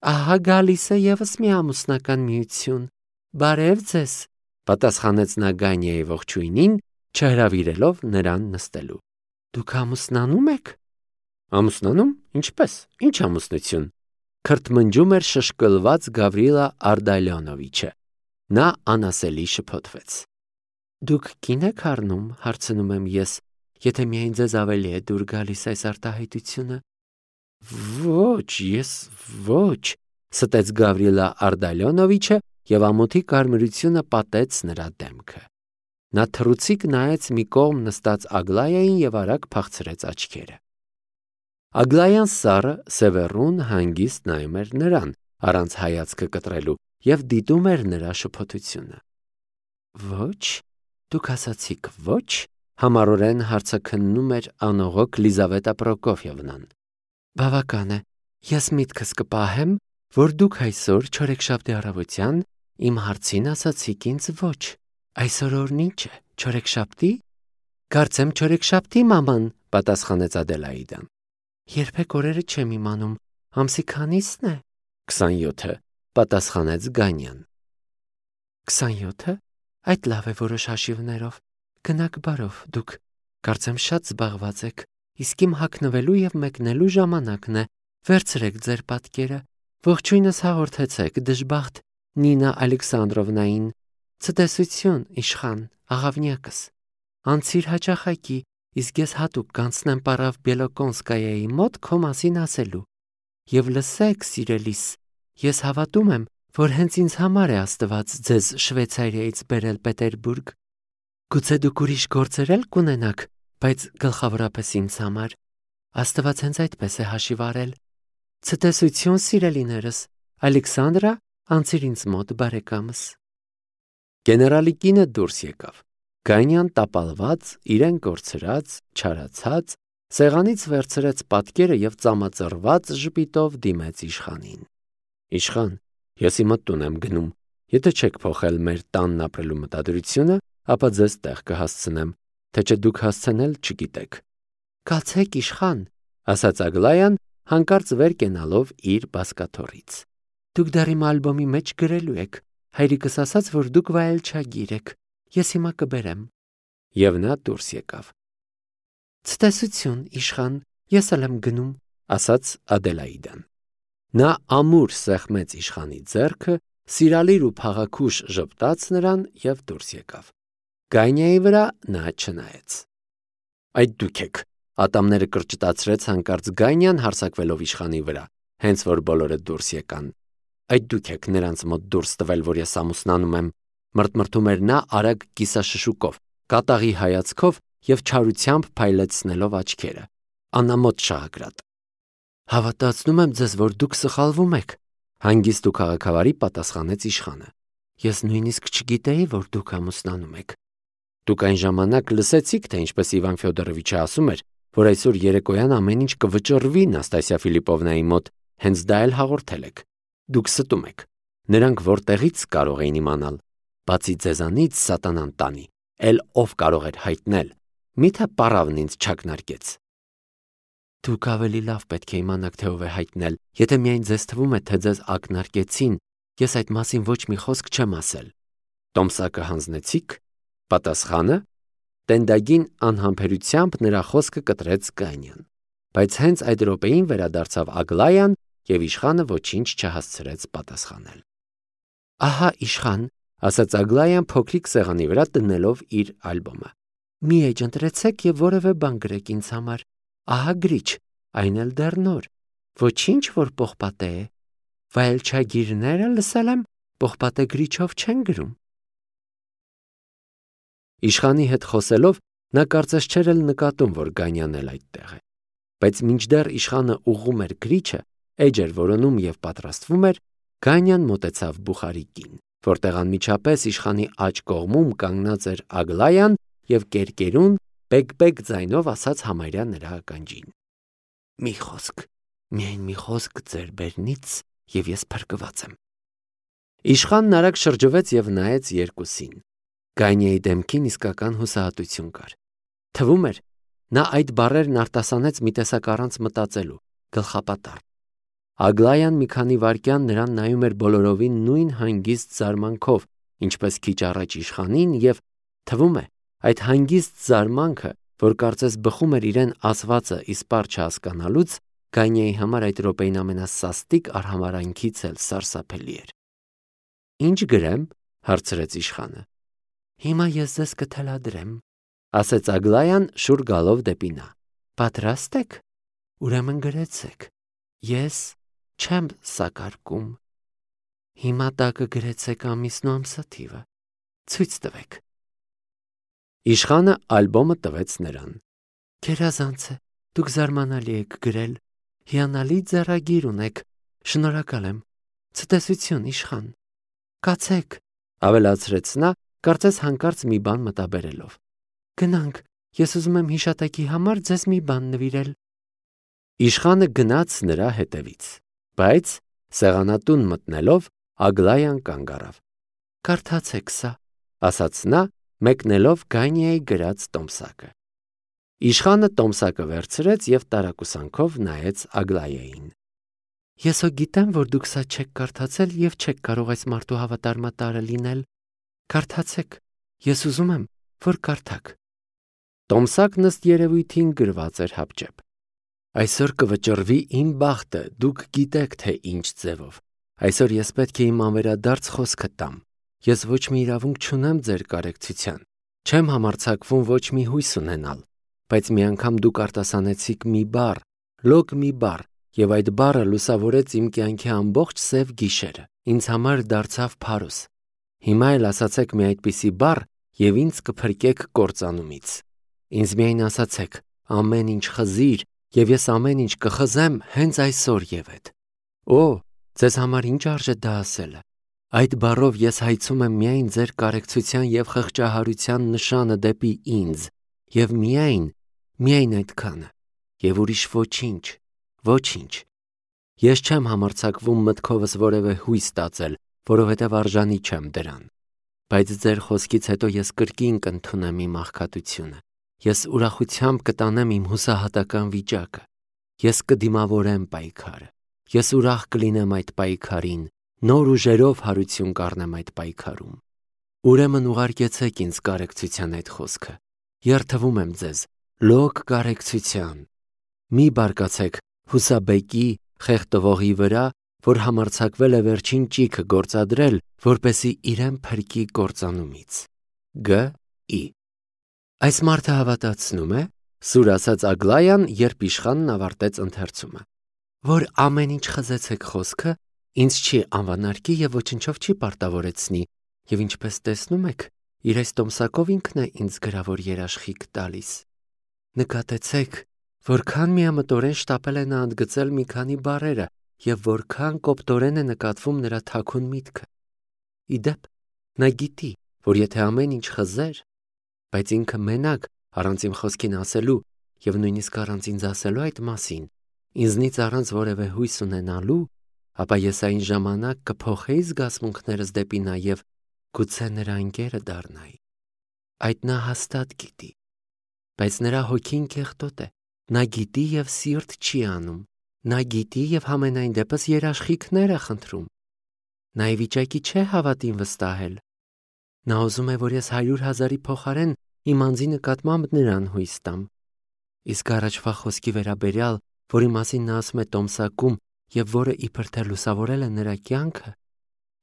Ահա գալիս է ևս մի ամուսնական միություն։ Բարև ձեզ, պատասխանեց նա Գանյայի ողջույնին, չհրավիրելով նրան նստելու։ Դուք ամուսնանում եք։ Ամուսնանում, ինչպես, ինչ ամուսնություն, քրթմնջում էր շշկլված Գավրիլա Արդալյոնովիչը։ Նա անասելի շփոթվեց։ Դուք կին եք առնում, հարցնում եմ ես, եթե միայն ձեզ ավելի է դուր գալիս այս արտահայտությունը։ Ոչ, ես ոչ, ստեց Գավրիլա Արդալյոնովիչը եւ ամոթի կարմրությունը պատեց նրա դեմքը։ Նա թռուցիկ նայեց մի կողմ նստած Ագլայային եւ արագ փախցրեց աչքերը։ Ագլայան սառը Սևեռուն հանգիստ նայում էր նրան, առանց հայացքը կտրելու, եւ դիտում էր նրա շփոթությունը։ Ոչ, դուք ասացիք ոչ, համառորեն հարցաքննում էր անողոք Լիզավետա Պրոկոֆյևնան։ Բավական է, ես միտքս կպահեմ, որ դուք այսօր չորեքշաբթի առավոտյան իմ հարցին ասացիք ինձ ոչ։ Այսօր օրն ինչ է, չորեքշաբթի։ Կարծեմ չորեքշաբթի, մաման, պատասխանեց Ադելաիդան։ Երբեք օրերը չեմ իմանում, ամսի քանիսն է։ 27-ը, պատասխանեց Գանյան։ 27-ը, այդ լավ է որոշ հաշիվներով։ Գնաք բարով դուք, կարծեմ շատ զբաղված եք, իսկ իմ հագնվելու եւ մեկնելու ժամանակն է։ Վերցրեք ձեր պատկերը, ողջույնս հաղորդեցեք դժբախտ Նինա Ալեքսանդրովնային։ Ցտեսություն, իշխան, աղավնյակս։ Անցիր հաճախակի, իսկ ես հատուկ կանցնեմ Պարավ Բելոկոնսկայայի մոտ քո մասին ասելու։ Եվ լսեք, սիրելիս, ես հավատում եմ, որ հենց ինձ համար է Աստված ձեզ Շվեյցարիայից բերել Պետերբուրգ։ Գուցե դուք ուրիշ գործեր էլ կունենաք, բայց գլխավորապես ինձ համար։ Աստված հենց այդպես է հաշիվ արել։ Ցտեսություն, սիրելիներս, Ալեքսանդրա, անցիր ինձ մոտ բարեկամս։ Գեներալի կինը դուրս եկավ։ Գանյան տապալված, իրեն կորցրած, չարացած, սեղանից վերցրեց պատկերը եւ ծամածռված ժպիտով դիմեց իշխանին։ Իշխան, ես իմը տուն եմ գնում։ Եթե չեք փոխել մեր տանն ապրելու մտադրությունը, ապա ձեզ տեղ կհասցնեմ, թե չէ դուք հասցնել չգիտեք։ Կացեք իշխան, ասաց Ագլայան, հանկարծ վեր կենալով իր բազկաթոռից։ Դուք դեռ իմ ալբոմի մեջ գրելու եք։ Հայրիկս ասաց, որ դուք վայելչագիր եք։ Ես հիմա կբերեմ։ Եվ նա դուրս եկավ։ Ցտեսություն, իշխան, ես էլ եմ գնում, ասաց Ադելաիդան։ Նա ամուր սեղմեց իշխանի ձեռքը, սիրալիր ու փաղաքուշ ժպտաց նրան եւ դուրս եկավ։ Գանյայի վրա նա չնայեց։ Այդ դուք եք, ատամները կրճտացրեց հանկարծ Գանյան հարձակվելով իշխանի վրա, հենց որ բոլորը դուրս եկան։ Այդ դուք եք նրանց մոտ դուրս տվել, որ ես ամուսնանում եմ, մրթմրթում էր նա արագ կիսաշշուկով, կատաղի հայացքով եւ չարությամբ փայլեցնելով աչքերը։ Անամոթ շաղակրատ։ Հավատացնում եմ ձեզ, որ դուք սխալվում եք, հանգիստ ու քաղաքավարի պատասխանեց իշխանը։ Ես նույնիսկ չգիտեի, որ դուք ամուսնանում եք։ Դուք այն ժամանակ լսեցիք, թե ինչպես Իվան Ֆյոդորովիչը ասում էր, որ այսօր երեկոյան ամեն ինչ կվճռվի Նաստասիա Ֆիլիպովնայի մոտ, հենց դա էլ հաղորդել եք։ Դուք ստում եք։ Նրանք որտեղից կարող էին իմանալ, բացի ձեզանից սատանան տանի, էլ ով կարող էր հայտնել։ Միթե պարավն ինձ չակնարկեց։ Դուք ավելի լավ պետք է իմանաք, թե ով է հայտնել, եթե միայն ձեզ թվում է, թե ձեզ ակնարկեցին, ես այդ մասին ոչ մի խոսք չեմ ասել։ Տոմսակը հանձնեցիք։ Պատասխանը տենդագին անհամբերությամբ նրա խոսքը կտրեց Գանյան, բայց հենց այդ րոպեին վերադարձավ Ագլայան եւ իշխանը ոչինչ չհասցրեց պատասխանել։ Ահա իշխան, ասաց Ագլայան փոքրիկ սեղանի վրա դնելով իր ալբոմը։ Մի էջ ընտրեցեք եւ որևէ բան գրեք ինձ համար։ Ահա գրիչ, այն էլ դեռ նոր։ Ոչինչ որ պողպատե է։ Վայելչագիրները լսել եմ, պողպատե գրիչով չեն գրում։ Իշխանի հետ խոսելով նա կարծես չէր էլ նկատում, որ Գանյանն էլ այդտեղ է։ Բայց մինչդեռ իշխանը ուղղում էր գրիչը, էջ էր որոնում եւ պատրաստվում էր, Գանյան մոտեցավ բուխարիկին, որտեղ անմիջապես իշխանի աջ կողմում կանգնած էր Ագլայան եւ կերկերուն բեկ-բեկ ձայնով ասաց համարյա նրա ականջին. Մի խոսք, միայն մի խոսք ձեր բերնից եւ ես փրկված եմ։ Իշխանն արագ շրջվեց եւ նայեց երկուսին։ Գանյայի դեմքին իսկական հուսահատություն կար։ Թվում էր, նա այդ բառերն արտասանեց մի տեսակ առանց մտածելու, գլխապատառ։ Ագլայան մի քանի վայրկյան նրան նայում էր բոլորովին նույն հանգիստ զարմանքով, ինչպես քիչ առաջ իշխանին, եւ թվում է, այդ հանգիստ զարմանքը, որ կարծես բխում էր իրեն ասվածը իսպառ չհասկանալուց, Գանիայի համար այդ րոպեին ամենասաստիկ արհամարհանքից էլ սարսափելի էր։ Ինչ գրեմ, հարցրեց իշխանը։ Հիմա ես ձեզ կթելադրեմ, ասեց Ագլայան շուռ գալով դեպի նա։ Պատրաստ եք։ Ուրեմն գրեցեք։ Ես չեմ սակարկում։ Հիմա տակը գրեցեք ամիսն ու ամսաթիվը։ Ցույց տվեք։ Իշխանը ալբոմը տվեց նրան։ Գերազանց է, դուք զարմանալի եք գրել։ Հիանալի ձեռագիր ունեք։ Շնորհակալ եմ։ Ցտեսություն, իշխան։ Կացեք, ավելացրեց նա, կարծես հանկարծ մի բան մտաբերելով։ Գնանք, ես ուզում եմ հիշատակի համար ձեզ մի բան նվիրել։ Իշխանը գնաց նրա հետևից, բայց սեղանատուն մտնելով Ագլայան կանգ առավ։ Կարդացեք սա, ասաց նա, մեկնելով Գանիայի գրած տոմսակը։ Իշխանը տոմսակը վերցրեց եւ տարակուսանքով նայեց Ագլայային։ Ես հո գիտեմ, որ դուք սա չեք կարդացել եւ չեք կարող այս մարդու հավատարմատարը լինել։ Կարդացեք, ես ուզում եմ, որ կարդաք։ Տոմսակն ըստ երևույթին գրված էր հապճեպ։ Այսօր կվճռվի իմ բախտը, դուք գիտեք, թե ինչ ձևով։ Այսօր ես պետք է իմ անվերադարձ խոսքը տամ։ Ես ոչ մի իրավունք չունեմ ձեր կարեկցության։ Չեմ համարձակվում ոչ մի հույս ունենալ, բայց մի անգամ դուք արտասանեցիք մի բառ, լոկ մի բառ, եւ այդ բառը լուսավորեց իմ կյանքի ամբողջ սև գիշերը։ Ինձ համար դարձավ փարոս։ Հիմա էլ ասացեք մի այդպիսի բառ եւ ինձ կփրկեք կործանումից։ Ինձ միայն ասացեք, ամեն ինչ խզիր, եւ ես ամեն ինչ կխզեմ հենց այսօր եւ այդ։ Օ, ձեզ համար ինչ արժե դա ասելը։ Այդ բառով ես հայցում եմ միայն ձեր կարեկցության եւ խղճահարության նշանը դեպի ինձ, եւ միայն այդքանը, եւ ուրիշ ոչինչ, ոչինչ։ Ես չեմ համարձակվում մտքովս որևէ հույս տածել, որովհետեւ արժանի չեմ դրան։ Բայց ձեր խոսքից հետո ես կրկին կընդունեմ իմ աղքատությունը։ Ես ուրախությամբ կտանեմ իմ հուսահատական վիճակը։ Ես կդիմավորեմ պայքարը։ Ես ուրախ կլինեմ այդ պայքարին, նոր ուժերով հարություն կառնեմ այդ պայքարում։ Ուրեմն ուղարկեցեք ինձ կարեկցության այդ խոսքը։ Երթվում եմ ձեզ, լոկ կարեկցության։ Մի բարկացեք Հուսաբեկի խեղդվողի վրա, որ համարձակվել է վերջին ճիգը գործադրել, որպեսի իրեն փրկի կործանումից։ Գ.ի. Այս մարդը հավատացնում է, սուր ասաց Ագլայան, երբ իշխանն ավարտեց ընթերցումը, որ ամեն ինչ խզեցեք խոսքը, ինձ չի անվանարկի եւ ոչնչով չի պարտավորեցնի, եւ ինչպես տեսնում եք, իր այս տոմսակով ինքն է ինձ գրավոր երաշխիք տալիս։ Նկատեցեք, որքան միամտորեն շտապել է նա ընդգծել մի քանի բառերը եւ որքան կոպտորեն է նկատվում նրա թաքուն միտքը։ Իդեպ, նա գիտի, որ եթե ամեն ինչ խզեր, բայց ինքը մենակ առանց իմ խոսքին ասելու եւ նույնիսկ առանց ինձ ասելու այդ մասին, ինձնից առանց որևէ հույս ունենալու, ապա ես այն ժամանակ կփոխեի զգացմունքներս դեպի նա եւ գուցե նրա ընկերը դառնայի։ Այդ նա հաստատ գիտի, բայց նրա հոգին կեղտոտ է։ Նա գիտի եւ սիրտ չի անում։ Նա գիտի եւ համենայն դեպս երաշխիքներ է խնդրում։ Նա ի վիճակի չէ հավատին վստահել։ Նա ուզում է, որ ես 100,000-ի փոխարեն իմ անձի նկատմամբ նրան հույս տամ։ Իսկ առաջվա խոսքի վերաբերյալ, որի մասին նա ասում է տոմսակում եւ որը իբր թե լուսավորել է նրա կյանքը,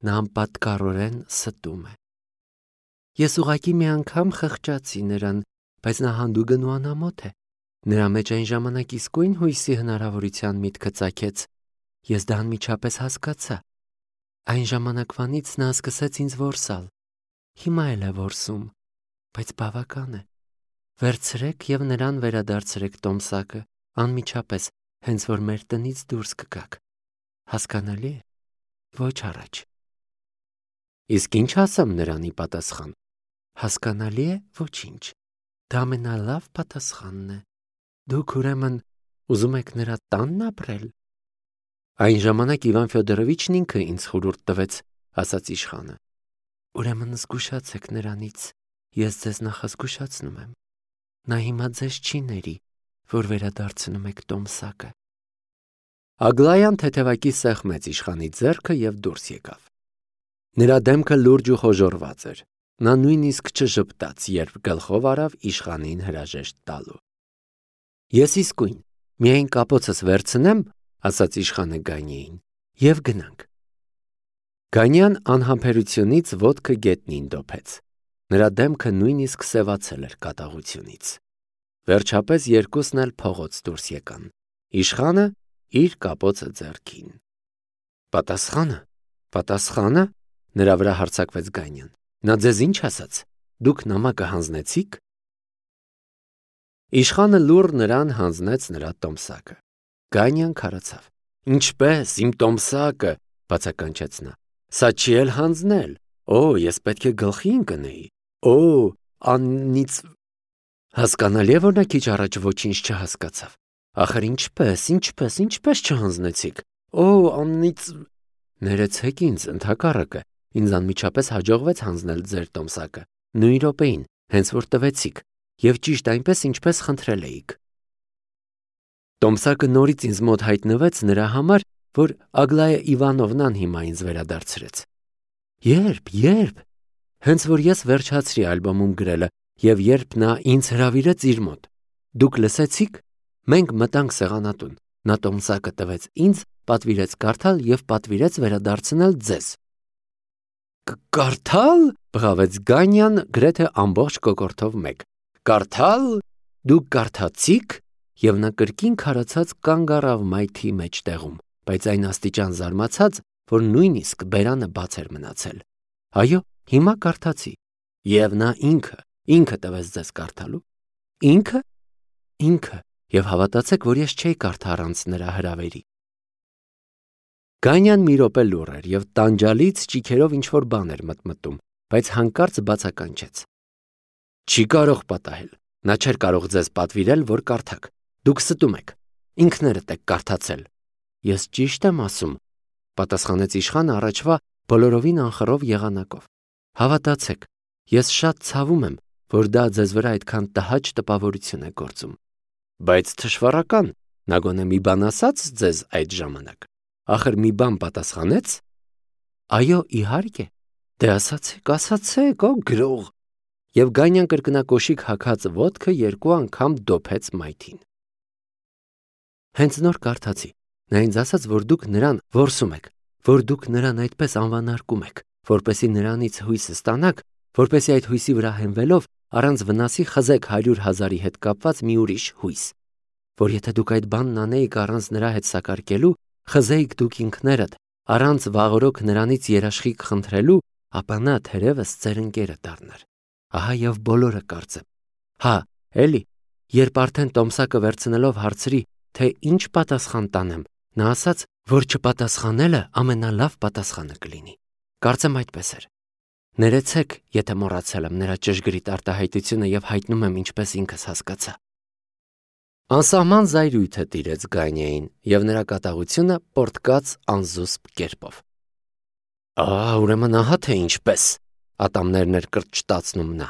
նա անպատկառորեն ստում է։ Ես ուղղակի մի անգամ խղճացի նրան, բայց նա հանդուգն ու անամոթ է։ Նրա մեջ այն ժամանակ իսկույն հույսի հնարավորության միտքը ծագեց։ Ես դա անմիջապես հասկացա։ Այն ժամանակվանից նա սկսեց ինձ որսալ։ Հիմա էլ է որսում, բայց բավական է։ Վերցրեք եւ նրան վերադարձրեք տոմսակը, անմիջապես, հենց որ մեր տնից դուրս կգաք։ Հասկանալի է։ Ոչ առաջ։ Իսկ ինչ ասեմ նրան ի պատասխան։ Հասկանալի է, ոչինչ։ Դա ամենալավ պատասխանն է։ Դուք ուրեմն ուզում եք նրա տանն ապրել։ Այն ժամանակ Իվան Ֆյոդորովիչն ինքը ինձ խորհուրդ տվեց, ասաց իշխանը։ Ուրեմն զգուշացեք նրանից, ես ձեզ նախազգուշացնում եմ։ Նա հիմա ձեզ չի ների, որ վերադարձնում եք տոմսակը։ Ագլայան թեթևակի սեղմեց իշխանի ձեռքը և դուրս եկավ։ Նրա դեմքը լուրջ ու խոժոռված էր։ Նա նույնիսկ չժպտաց, երբ գլխով արավ իշխանին հրաժեշտ տալու։ Ես իսկույն միայն կապոցս վերցնեմ, ասաց իշխանը Գանիեին, և գնանք։ Գանյան անհամբերությունից ոտքը գետնին դոփեց։ Նրա դեմքը նույնիսկ սևացել էր կատաղությունից։ Վերջապես երկուսն էլ փողոց դուրս եկան։ Իշխանը իր կապոցը ձեռքին։ Պատասխանը, նրա վրա հարձակվեց Գանյան։ Նա ձեզ ինչ ասաց։ Դուք նամակը հանձնեցիք։ Իշխանը լուռ նրան հանձնեց նրա տոմսակը։ Գանյան քարացավ։ Ինչպես, իմ տոմսակը, բացականչեց նա։ Սա չի էլ հանձնել։ Ես պետք է գլխի ընկնեի։ Աննիծ։ Հասկանալի է, որ նա քիչ առաջ ոչինչ չհասկացավ։ Ախր ինչպես չհանձնեցիք։ Աննիծ։ Ներեցեք ինձ, ընդհակառակը, ինձ անմիջապես հաջողվեց հանձնել ձեր տոմսակը, նույն րոպեին, հենց որ տվեցիք, և ճիշտ այնպես, ինչպես խնդրել էիք։ Տոմսակը նորից ինձ մոտ հայտնվեց նրա համար, որ Ագլայա Իվանովնան հիմա ինձ վերադարձրեց։ Երբ։ Հենց որ ես վերջացրի ալբոմում գրելը, և երբ նա ինձ հրավիրեց իր մոտ։ Դուք լսեցիք։ Մենք մտանք սեղանատուն։ Նա տոմսակը տվեց ինձ, պատվիրեց կարդալ և պատվիրեց վերադարձնել ձեզ։ Կարդալ, բղավեց Գանյան գրեթե ամբողջ կոկորդով մեկ։ Կարդալ։ Դուք կարդացիք։ Եվ նա կրկին քարացած կանգ առավ մայթի մեջտեղում, բայց այն աստիճան զարմացած, որ նույնիսկ բերանը բաց էր մնացել։ Այո, հիմա կարդացի։ Եվ նա ինքը տվեց ձեզ կարդալու։ Ինքը, և հավատացեք, որ ես չէի կարդա առանց նրա հրավերի։ Գանյան մի րոպե լուռ էր և տանջալից ճիգերով ինչ-որ բան էր մտմտում, բայց հանկարծ բացականչեց։ Չի կարող պատահել։ Նա չէր կարող ձեզ պատվիրել, որ կարդաք։ Դուք ստում եք։ Ինքներդ եք կարդացել։ Ես ճիշտ եմ ասում, պատասխանեց իշխանը առաջվա բոլորովին անխռով եղանակով։ Հավատացեք, ես շատ ցավում եմ, որ դա ձեզ վրա այդքան տհաճ տպավորություն է գործում։ Բայց թշվառական, նա գոնե մի բան ասաց ձեզ այդ ժամանակ։ Ախր մի բան պատասխանեց։ Այո, իհարկե։ Դե ասացեք, գրող։ Եվ Գանյան կրկնակոշիկ հագած ոտքը երկու անգամ դոփեց մայթին։ Հենց նոր կարդացի։ Նա ինձ ասաց, որ դուք նրան որսում եք, որ դուք նրան այդպես անվանարկում եք, որպեսզի նրանից հույսը ստանաք, որպեսզի այդ հույսի վրա հենվելով առանց վնասի խզեք 100,000-ի հետ կապված մի ուրիշ հույս, որ եթե դուք այդ բանն անեիք առանց նրա հետ սակարկելու, խզեիք դուք ինքներդ, առանց վաղօրոք նրանից երաշխիք խնդրելու, ապա նա թերևս ձեր ընկերը դառնար։ Ահա և բոլորը կարծեմ։ Էլի, երբ արդեն տոմսակը վերցնելով հարցրի, թե ինչ պատասխան տանեմ, նա ասաց, որ չպատասխանելը ամենալավ պատասխանը կլինի։ Կարծեմ այդպես էր։ Ներեցեք, եթե մոռացել եմ նրա ճշգրիտ արտահայտությունը և հայտնում եմ ինչպես ինքս հասկացա։ Անսահման զայրույթ տիրեց Գանիեին, և նրա կատաղությունը պոռթկաց անզուսպ կերպով։ Ուրեմն ահա թե ինչպես, ատամներն էր կրճտացնում նա։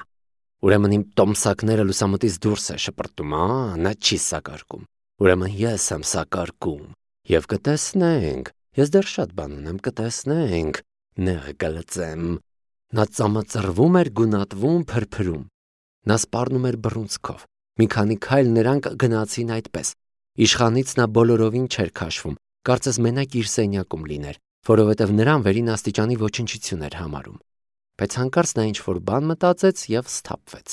Ուրեմն իմ տոմսակները լուսամուտից դուրս է շպրտում, նա չի սակարկում։ Ուրեմն ես եմ սակարկում, և կտեսնենք, ես դեռ շատ բան ունեմ, կտեսնենք, նեղը կլծեմ։ Նա ծամածռվում էր, գունատվում, փրփրում։ Նա սպառնում էր բռունցքով։ Մի քանի քայլ նրանք գնացին այդպես։ Իշխանից նա բոլորովին չէր քաշվում, կարծես մենակ իր սենյակում լիներ, որովհետև նրան վերին աստիճանի ոչնչություն էր համարում։ Բայց հանկարծ նա ինչ-որ բան մտածեց և սթափվեց։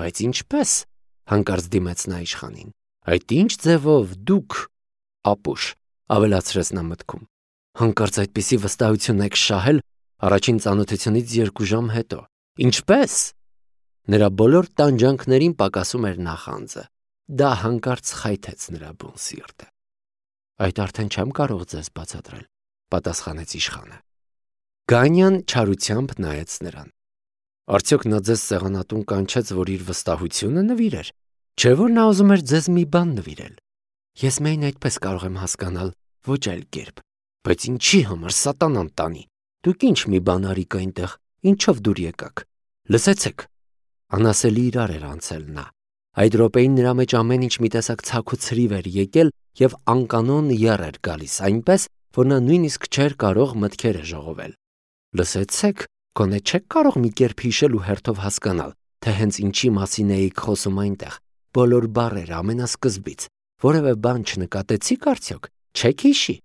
Բայց ինչպես, հանկարծ դիմեց նա իշխանին։ Այդ ինչ ձևով դուք, ապուշ, ավելացրեց նա մտքում։ Հանկարծ այդպիսի վստահություն եք շահել առաջին ծանոթությունից 2 ժամ հետո։ Ինչպես։ Նրա բոլոր տանջանքներին պակասում էր նախանձը։ Դա հանկարծ խայթեց նրա բուն սիրտը։ Այդ արդեն չեմ կարող ձեզ բացատրել, պատասխանեց իշխանը։ Գանյան չարությամբ նայեց նրան։ Արդյոք նա ձեզ սեղանատուն կանչեց, որ իր վստահությունը նվիրեր, չէ՞ որ նա ուզում էր ձեզ մի բան նվիրել։ Ես միայն այդպես կարող եմ հասկանալ, ոչ այլ կերպ։ Բայց ինչի համար սատանան տանի։ Դուք ինչ մի բան արիք այնտեղ, ինչով դուր եկաք։ Լսեցեք։ Անասելի իրար էր անցել նա։ Այդ րոպեին նրա մեջ ամեն ինչ մի տեսակ ցաք ու ցրիվ էր եկել եւ անկանոն եռ էր գալիս, այնպես, որ նա նույնիսկ չէր կարող մտքերը ժողովել։ Լսեցեք, գոնե չեք կարող մի կերպ հիշել ու հերթով հասկանալ, թե հենց ինչի մասին էիք խոսում այնտեղ, բոլոր բառերը ամենասկզբից, որևէ բան չնկատեցիք արդյոք, չեք հիշի։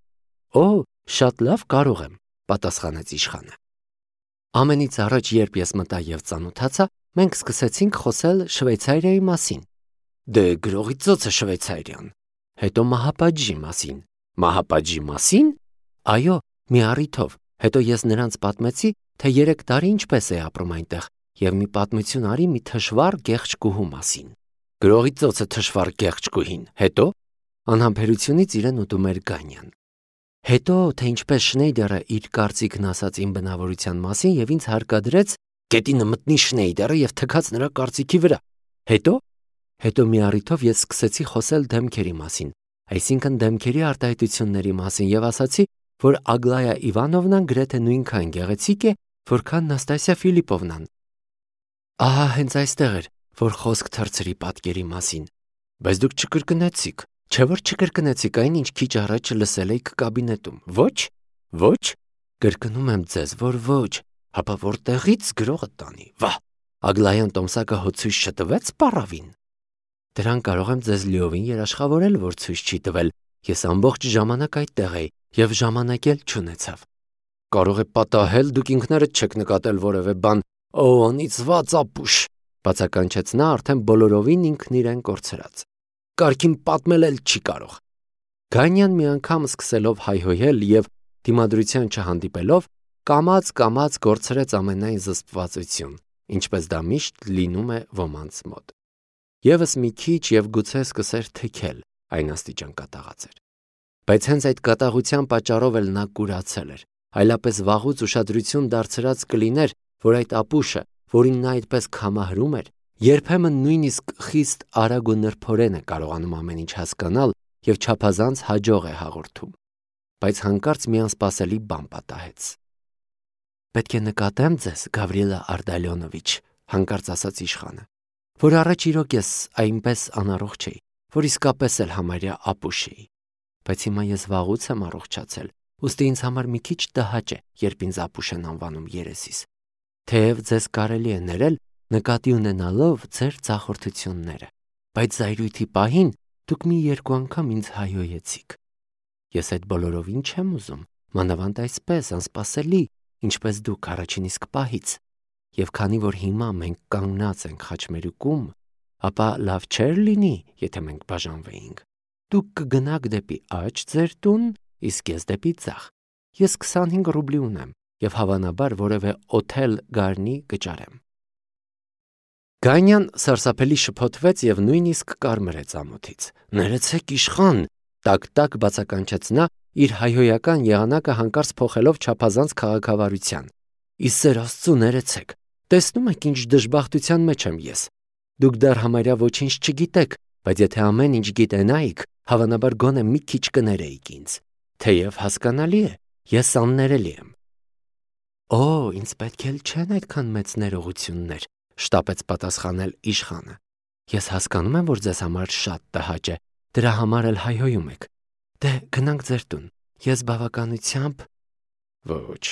Օ, շատ լավ կարող եմ, պատասխանեց իշխանը։ Ամենից առաջ, երբ ես մտա եւ ծանոթացա, մենք սկսեցինք խոսել Շվեյցարիայի մասին։ Դե գրողի ծոցը Շվեյցարիան։ Հետո մահապատժի մասին։ Մահապատժի մասին։ Այո, մի առիթով։ Հետո ես նրանց պատմեցի, թե 3 տարի ինչպես է ապրում այնտեղ, եւ մի պատմություն արի մի թշվառ գեղձ կուհու մասին։ Գրողի ծոցը թշվառ գեղձ կուհին։ Հետո անհամբերությունից իրեն ուտում էր Գանյան։ Հետո թե ինչպես Շնեյդերը իր կարծիքն ասաց իմ բնավորության մասին եւ ինձ հարկադրեց գետինը մտնի Շնեյդերը եւ թքած նրա կարծիքի վրա։ Հետո մի առիթով ես սկսեցի խոսել դեմքերի մասին, այսինքն դեմքերի արտահայտությունների մասին եւ ասացի, որ Ագլայա Իվանովնան գրեթե նույնքան գեղեցիկ է, որքան Նաստասիա Ֆիլիպովնան։ Ահա հենց այստեղ էր, որ խոսք թռցրի պատկերի մասին։ Բայց դուք չկրկնեցիք, չէ՞ որ չկրկնեցիք այն, ինչ քիչ առաջ լսել էիք կաբինետում։ Ոչ, կրկնում եմ ձեզ, որ ոչ, հապա որտեղից գրողը տանի։ Վա, Ագլայան Տոմսակը հո ցույց չտվեց պարավին։ Դրան կարող եմ ձեզ լիովին երաշխավորել, որ ցույց չի տվել։ Ես ամբողջ ժամանակ այդտեղ էի եւ ժամանակ էլ չունեցավ։ Կարող է պատահել, դուք ինքներդ չեք նկատել որևէ բան։ Օ, անիծված ապուշ, բացականչեց նա արդեն բոլորովին ինքն իրեն կորցրած։ Կարգին պատմել էլ չի կարող։ Գանյան մի անգամ սկսելով հայհոյել եւ դիմադրության չհանդիպելով, կամաց կորցրեց ամենայն զսպվածություն, ինչպես դա միշտ լինում է ոմանց մոտ։ Եվս մի քիչ եւ գուցե սկսեր թքել, այն աստիճան կատաղած էր։ Բայց հենց այդ կատաղության պատճառով էլ նա կուրացել էր, այլապես վաղուց ուշադրություն դարձրած կլիներ, որ այդ ապուշը, որին նա այդպես քամահրում էր, երբեմն նույնիսկ խիստ արագ ու նրբորեն է կարողանում ամեն ինչ հասկանալ եւ չափազանց հաջող է հաղորդում։ Բայց հանկարծ մի անսպասելի բան պատահեց։ Պետք է նկատեմ ձեզ, Գավրիելա Արդալյոնովիչ, հանկարծ ասաց իշխանը, որ առաջ իրոք ես այնպես անառողջ էի, որ իսկապես էլ համարյա ապուշ էի։ Բայց հիմա ես վաղուց եմ առողջացել, ուստի ինձ համար մի քիչ տհաճ է, երբ ինձ ապուշ են անվանում երեսիս։ Թեև ձեզ կարելի է ներել, նկատի ունենալով ձեր ծախորդությունները, բայց զայրույթի պահին դուք մի 2 անգամ ինձ հայհոյեցիք։ Ես այդ բոլորովին չեմ ուզում, մանավանդ այսպես անսպասելի, ինչպես դուք առաջին իսկ պահից։ Եվ քանի որ հիմա մենք կանգնած ենք խաչմերուկում, ապա լավ չէր լինի, եթե մենք բաժանվեինք։ Դուք կգնաք դեպի աջ ձեր տուն, իսկ ես դեպի ձախ։ Ես 25 ռուբլի ունեմ եւ հավանաբար որևէ օթել գարնի կճարեմ։ Գանյան սարսափելի շփոթվեց եւ նույնիսկ կարմրեց ամոթից։ Ներեցեք իշխան, տակ բացականչեց նա, իր հայհոյական եղանակը հանկարծ փոխելով չափազանց քաղաքավարության։ Իսեր Աստծո ներեցեք։ Տեսնում եք ինչ դժբախտության մեջ եմ ես։ Դուք դեռ համարյա ոչինչ չգիտեք, բայց եթե ամեն ինչ գիտենայիք, հավանաբար գոնե մի քիչ կներեիք ինձ։ Թեև հասկանալի է, ես աններելի եմ։ Օ, ինձ պետք էլ չեն այդքան մեծ ներողություններ, շտապեց պատասխանել իշխանը։ Ես հասկանում եմ, որ ձեզ համար շատ տհաճ է, դրա համար էլ հայհոյում եք։ Դե գնանք ձեր տուն։ Ես բավականությամբ… Ոչ։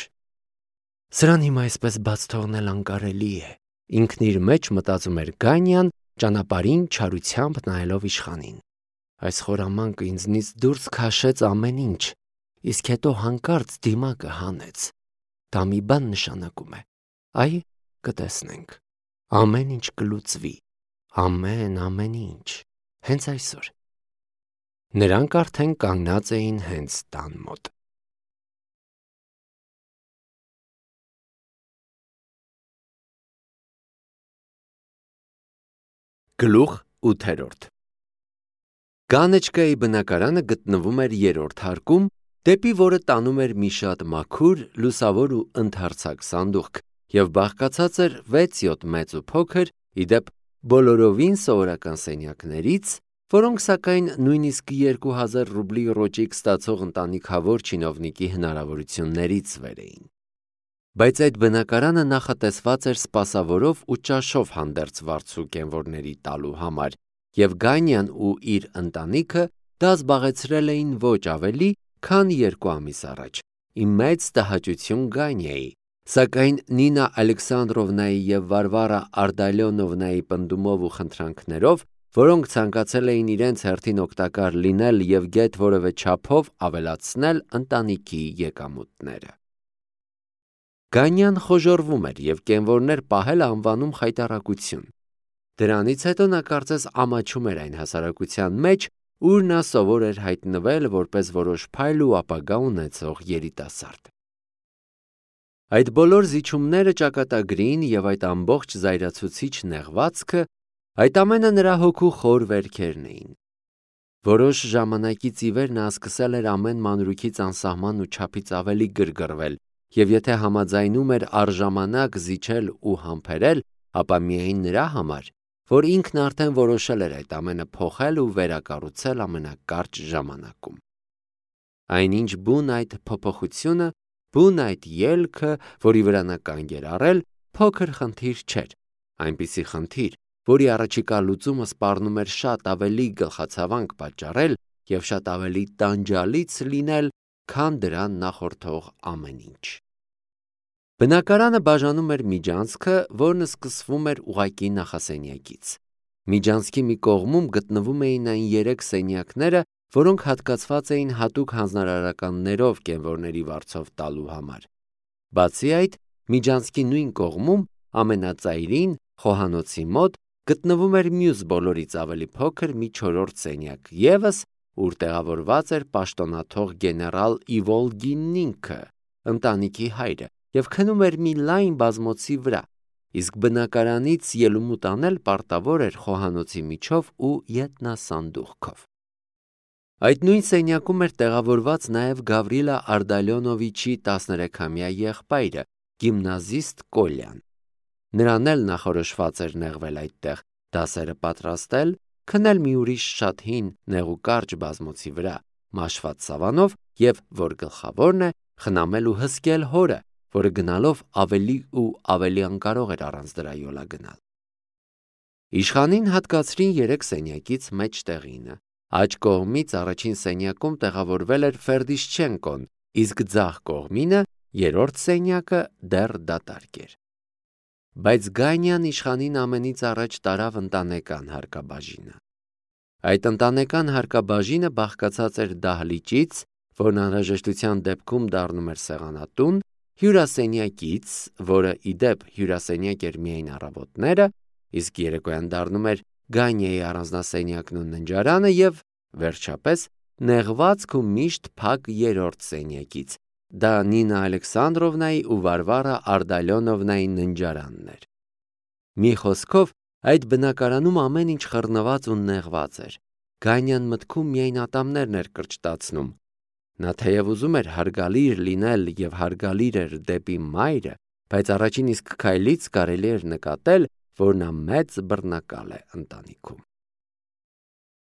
Սրան հիմա այսպես բաց թողնել անկարելի է։ Ինքն իր մեջ մտածում էր Գանյան, ճանապարհին չարությամբ նայելով իշխանին։ Այս խորամանկը ինձնից դուրս քաշեց ամեն ինչ, իսկ հետո հանկարծ դիմակը հանեց։ Դա մի բան նշանակում է։ Այ, կտեսնենք։ Ամեն ինչ կլուծվի։ Ամեն ինչ։ Հենց այսօր։ Նրանք արդեն կանգնած էին հենց տան մոտ։ Գլուխ 8 Կանեչկայի բնակարանը գտնվում էր 3-րդ հարկում, դեպի որը տանում էր մի շատ մաքուր, լուսավոր ու ընդարձակ սանդուղք եւ բաղկացած էր 6-7 մեծ ու փոքր, իդեպ բոլորովին սովորական սենյակներից, որոնք սակայն նույնիսկ 2000 ռուբլի ռոճիկ ստացող ընտանիքավոր չինովնիկի հնարավորություններից վեր էին։ Բայց այդ բնակարանը նախատեսված էր սպասավորով ու ճաշով հանդերձ վարձու կենվորների տալու համար, եւ Գանյան ու իր ընտանիքը դա զբաղեցրել էին ոչ ավելի, քան 2 ամիս առաջ, իմ մեծ տհաճություն Գանյայի, սակայն Նինա Ալեքսանդրովնայի և Վարվարա Արդալյոնովնայի պնդումով ու խնդրանքներով, որոնք ցանկացել էին իրենց հերթին օգտակար լինել և գեթ որևէ չափով ավելացնել ընտանիքի եկամուտները։ Գանյան խոժոռվում էր և կենվորներ պահելը անվանում խայտառակություն։ Դրանից հետո նա կարծես ամաչում էր այն հասարակության մեջ, ուր նա սովոր էր հայտնվել որպես որոշ փայլ ու ապագա ունեցող երիտասարդ։ Այդ բոլոր զիջումները ճակատագրին և այդ ամբողջ զայրացուցիչ նեղվածքը, այդ ամենը նրա հոգու խոր վերքերն էին։ Որոշ ժամանակից ի վեր նա սկսել էր ամեն մանրուքից անսահման ու չափից ավելի գրգռվել, և եթե համաձայնում էր առժամանակ զիջել ու համբերել, ապա միայն նրա համար, որ ինքն արդեն որոշել էր այդ ամենը փոխել ու վերակառուցել ամենակարճ ժամանակում։ Այնինչ բուն այդ փոփոխությունը, բուն այդ ելքը, որի վրա նա կանգ էր առել, փոքր խնդիր չէր, այնպիսի խնդիր, որի առաջիկա լուծումը սպառնում էր շատ ավելի գլխացավանք պատճառել և շատ ավելի տանջալից լինել, քան դրան նախորդող ամեն ինչ։ Բնակարանը բաժանում էր միջանցքը, որն սկսվում էր ուղղակի նախասենյակից։ Միջանցքի մի կողմում գտնվում էին այն 3 սենյակները, որոնք հատկացված էին հատուկ հանձնարարականներով կենվորների վարձով տալու համար։ Բացի այդ, միջանցքի նույն կողմում, ամենածայրին, խոհանոցի մոտ, գտնվում էր մյուս բոլորից ավելի փոքր մի 4-րդ սենյակ ևս, ուր տեղավորված էր պաշտոնաթող գեներալ Իվոլգինն ինքը, ընտանիքի հայրը, և քնում էր մի լայն բազմոցի վրա, իսկ բնակարանից ելումուտ անել պարտավոր էր խոհանոցի միջով ու ետնասանդուղքով։ Այդ նույն սենյակում էր տեղավորված նաև Գավրիլա Արդալյոնովիչի 13-ամյա եղբայրը, գիմնազիստ Կոլյան։ Նրան էլ նախորոշված էր նեղվել այդտեղ, դասերը պատրաստել, քնել մի ուրիշ շատ հին նեղուկարճ բազմոցի վրա, մաշված սավանով և, որ գլխավորն է, խնամել ու հսկել հորը, որը գնալով ավելի ու ավելի անկարող էր առանց դրա յոլա գնալ։ Իշխանին հատկացրին 3 սենյակից մեջտեղինը։ Աջ կողմից առաջին սենյակում տեղավորվել էր Ֆերդիշչենկոն, իսկ ձախ կողմինը, 3-րդ սենյակը, դեռ դատարկ էր։ Բայց Գանյան իշխանին ամենից առաջ տարավ ընտանեկան հարկաբաժինը։ Այդ ընտանեկան հարկաբաժինը բաղկացած էր դահլիճից, որն անհրաժեշտության դեպքում դառնում էր սեղանատուն, հյուրասենյակից, որը ի դեպ հյուրասենյակ էր միայն առավոտները, իսկ երեկոյան դառնում էր Գանյայի առանձնասենյակն ու ննջարանը, և, վերջապես, նեղվածք ու միշտ փակ 3-րդ սենյակից, դա Նինա Ալեքսանդրովնայի ու Վարվարա Արդալյոնովնայի ննջարանն էր։ Մի խոսքով, այդ բնակարանում ամեն ինչ խռնված ու նեղված էր։ Գանյան մտքում միայն ատամներն էր կրճտացնում։ Նա թեև ուզում էր հարգալիր լինել և հարգալիր էր դեպի մայրը, բայց առաջին իսկ քայլից կարելի էր նկատել, որ նա մեծ բռնակալ է ընտանիքում։